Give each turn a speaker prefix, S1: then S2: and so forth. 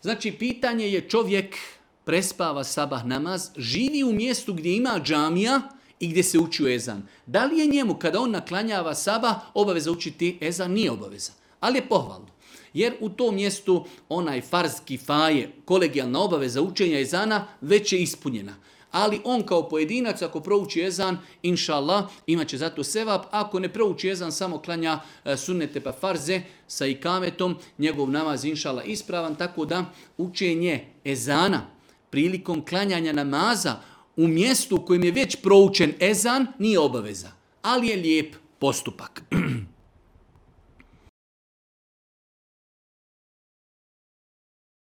S1: Znači, pitanje je čovjek prespava sabah namaz, živi u mjestu gdje ima džamija i gdje se uči ezan. Da li je njemu, kada on naklanjava sabah, obaveza učiti ezan? Nije obaveza, ali je pohvalno. Jer u tom mjestu onaj farz kifaje, kolegijalna obaveza učenja ezana, već je ispunjena. Ali on kao pojedinac, ako prouči ezan, inša Allah, imat će zato sevap. Ako ne prouči ezan, samo klanja sunnete pa farze sa ikametom, njegov namaz inša Allah ispravan. Tako da učenje ezana prilikom klanjanja namaza u mjestu u kojem je već proučen ezan nije obaveza, ali je lijep postupak.